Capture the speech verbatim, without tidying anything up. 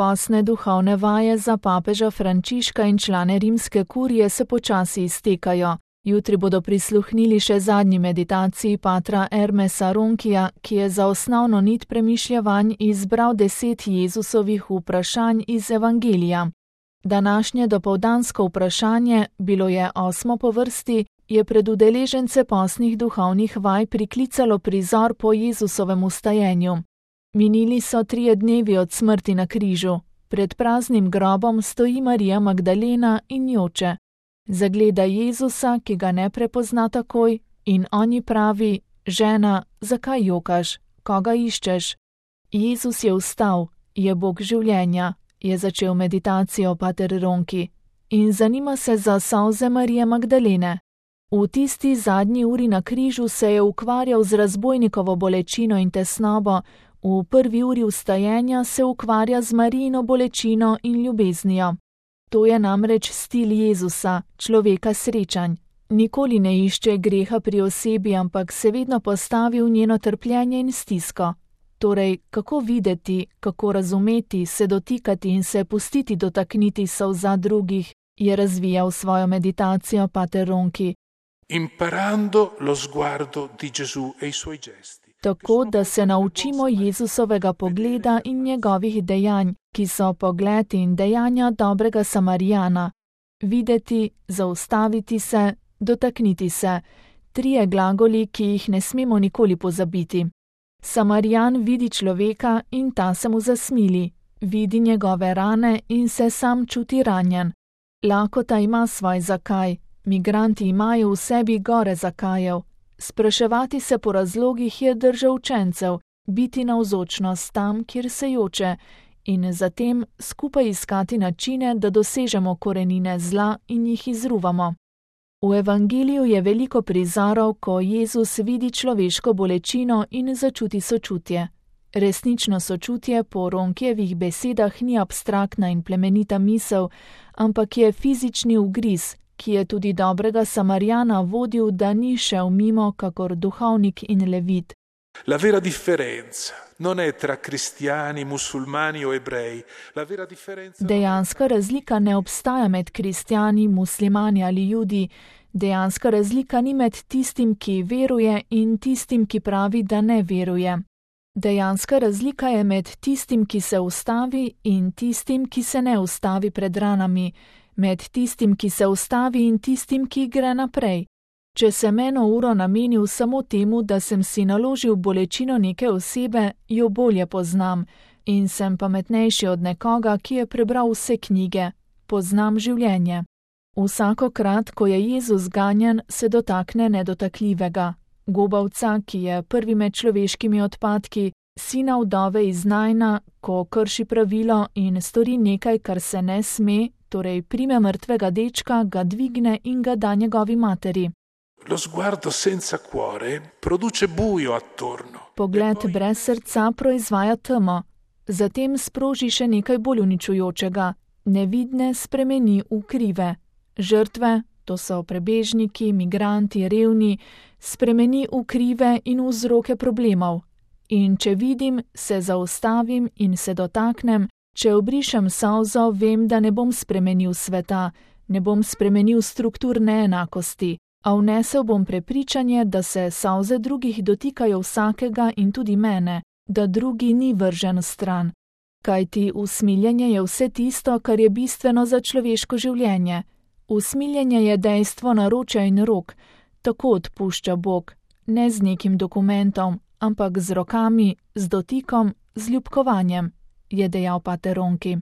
Posne duhovne vaje za papeža Frančiška in člane rimske kurije se počasi iztekajo. Jutri bodo prisluhnili še zadnji meditaciji patra Hermesa Ronkija, ki je za osnovno nit premišljevanj izbral deset Jezusovih vprašanj iz Evangelija. Današnje dopoldansko vprašanje, bilo je osmo po vrsti, je pred udeležence posnih duhovnih vaj priklicalo prizor po Jezusovem vstajenju. Minili so trije dnevi od smrti na križu. Pred praznim grobom stoji Marija Magdalena in joče. Zagleda Jezusa, ki ga ne prepozna takoj, in on ji pravi: žena, zakaj jokaš, koga iščeš? Jezus je vstal, je Bog življenja, je začel meditacijo pater Ronki in zanima se za solze Marije Magdalene. V tisti zadnji uri na križu se je ukvarjal z razbojnikovo bolečino in tesnobo, v prvi uri vstajenja se ukvarja z Marijino bolečino in ljubeznijo. To je namreč stil Jezusa, človeka srečanj. Nikoli ne išče greha pri osebi, ampak se vedno postavi v njeno trpljenje in stisko. Torej, kako videti, kako razumeti, se dotikati in se pustiti dotakniti solza drugih, je razvijal svojo meditacijo pater Ronki. Imparando lo sguardo di Gesù e i suoi gesti. Tako, da se naučimo Jezusovega pogleda in njegovih dejanj, ki so pogled in dejanja dobrega Samarijana. Videti, zaustaviti se, dotakniti se, trije glagoli, ki jih ne smemo nikoli pozabiti. Samarijan vidi človeka in ta se mu zasmili, vidi njegove rane in se sam čuti ranjen. Lakota ima svoj zakaj, migranti imajo v sebi gore zakajev. Spraševati se po razlogih je drža učencev, biti navzočnost tam, kjer se joče, in zatem skupaj iskati načine, da dosežemo korenine zla in jih izruvamo. V Evangeliju je veliko prizorov, ko Jezus vidi človeško bolečino in začuti sočutje. Resnično sočutje po Ronkijevih besedah ni abstraktna in plemenita misel, ampak je fizični ugriz, ki je tudi dobrega Samarijana vodil, da ni šel mimo kakor duhovnik in levit. La vera differenza non è tra cristiani, musulmani o ebrei. La vera differenza Dejanska razlika ne obstaja med kristjani, muslimani ali judi. Dejanska razlika ni med tistim, ki veruje, in tistim, ki pravi, da ne veruje. Dejanska razlika je med tistim, ki se ustavi, in tistim, ki se ne ustavi pred ranami, med tistim, ki se ustavi, in tistim, ki gre naprej. Če sem eno uro namenil samo temu, da sem si naložil bolečino neke osebe, jo bolje poznam in sem pametnejši od nekoga, ki je prebral vse knjige. Poznam življenje. Vsakokrat, ko je Jezus ganjen, se dotakne nedotakljivega. Gobavca, ki je prvi med človeškimi odpadki, sina vdove iz Najna, ko krši pravilo in stori nekaj, kar se ne sme, torej prime mrtvega dečka, ga dvigne in ga da njegovi materi. Lo sguardo senza cuore produce buio attorno. Pogled brez srca proizvaja temo, zatem sproži še nekaj bolj uničujočega. Nevidne spremeni v krive. Žrtve, to so prebežniki, migranti, revni, spremeni v krive in vzroke problemov. In če vidim, se zaustavim in se dotaknem, če obrišem solzo, vem, da ne bom spremenil sveta, ne bom spremenil struktur neenakosti, a vnesel bom prepričanje, da se solze drugih dotikajo vsakega in tudi mene, da drugi ni vržen stran. Kajti usmiljenje je vse tisto, kar je bistveno za človeško življenje. Usmiljenje je dejstvo naročja in rok, tako odpušča Bog, ne z nekim dokumentom, ampak z rokami, z dotikom, z ljubkovanjem, je dejal pater Ronki.